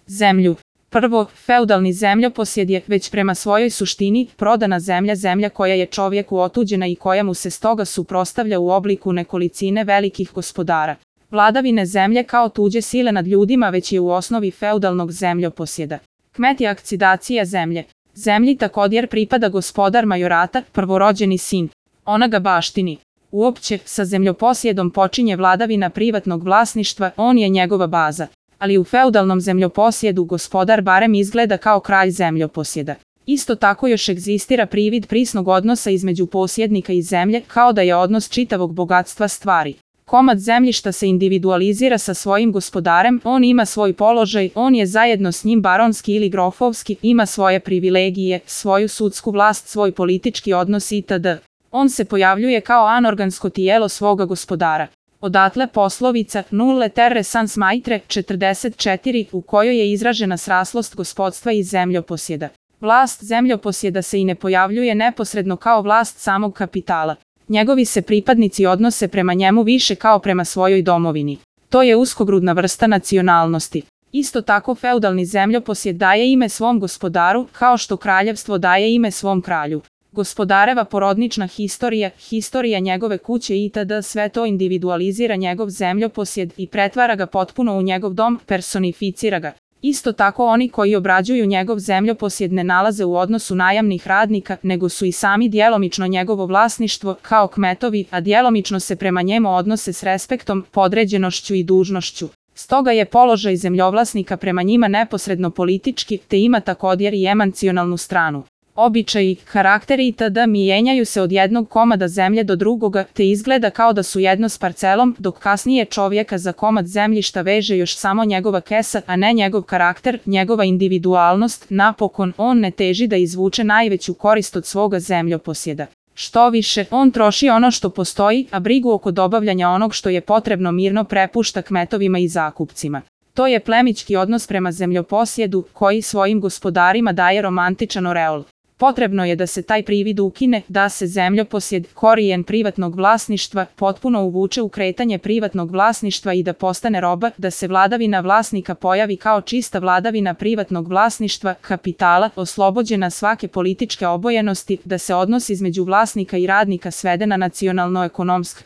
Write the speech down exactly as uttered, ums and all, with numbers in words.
Zemlju. Prvo, feudalni zemljoposjed je, već prema svojoj suštini, prodana zemlja, zemlja koja je čovjeku otuđena i koja mu se stoga suprotstavlja u obliku nekolicine velikih gospodara. Vladavine zemlje kao tuđe sile nad ljudima već je u osnovi feudalnog zemljoposjeda. Kmet je akcidacija zemlje. Zemlji također pripada gospodar majorata, prvorođeni sin. Ona ga baštini. Uopće, sa zemljoposjedom počinje vladavina privatnog vlasništva, on je njegova baza. Ali u feudalnom zemljoposjedu gospodar barem izgleda kao kralj zemljoposjeda. Isto tako još egzistira privid prisnog odnosa između posjednika i zemlje, kao da je odnos čitavog bogatstva stvari. Komad zemljišta se individualizira sa svojim gospodarem, on ima svoj položaj, on je zajedno s njim baronski ili grofovski, ima svoje privilegije, svoju sudsku vlast, svoj politički odnos itd. On se pojavljuje kao anorgansko tijelo svoga gospodara. Odatle poslovica nulle terre sans maitre četrdeset četiri u kojoj je izražena sraslost gospodstva i zemljoposjeda. Vlast zemljoposjeda se i ne pojavljuje neposredno kao vlast samog kapitala. Njegovi se pripadnici odnose prema njemu više kao prema svojoj domovini. To je uskogrudna vrsta nacionalnosti. Isto tako feudalni zemljoposjed daje ime svom gospodaru, kao što kraljevstvo daje ime svom kralju. Gospodareva porodnična historija, historija njegove kuće itd. Sve to individualizira njegov zemljoposjed i pretvara ga potpuno u njegov dom, personificira ga. Isto tako oni koji obrađuju njegov zemljoposjed ne nalaze u odnosu najamnih radnika, nego su i sami djelomično njegovo vlasništvo, kao kmetovi, a djelomično se prema njemu odnose s respektom, podređenošću i dužnošću. Stoga je položaj zemljovlasnika prema njima neposredno politički, te ima također i emocionalnu stranu. Običaji, karakteri itd. Mijenjaju se od jednog komada zemlje do drugoga, te izgleda kao da su jedno s parcelom, dok kasnije čovjeka za komad zemljišta veže još samo njegova kesa, a ne njegov karakter, njegova individualnost. Napokon, on ne teži da izvuče najveću korist od svoga zemljoposjeda. Što više, on troši ono što postoji, a brigu oko dobavljanja onog što je potrebno mirno prepušta kmetovima i zakupcima. To je plemićki odnos prema zemljoposjedu, koji svojim gospodarima daje romantičan oreol. Potrebno je da se taj privid ukine, da se zemljoposjed, korijen privatnog vlasništva, potpuno uvuče u kretanje privatnog vlasništva i da postane roba, da se vladavina vlasnika pojavi kao čista vladavina privatnog vlasništva, kapitala, oslobođena svake političke obojenosti, da se odnos između vlasnika i radnika svede na nacionalno-ekonomsk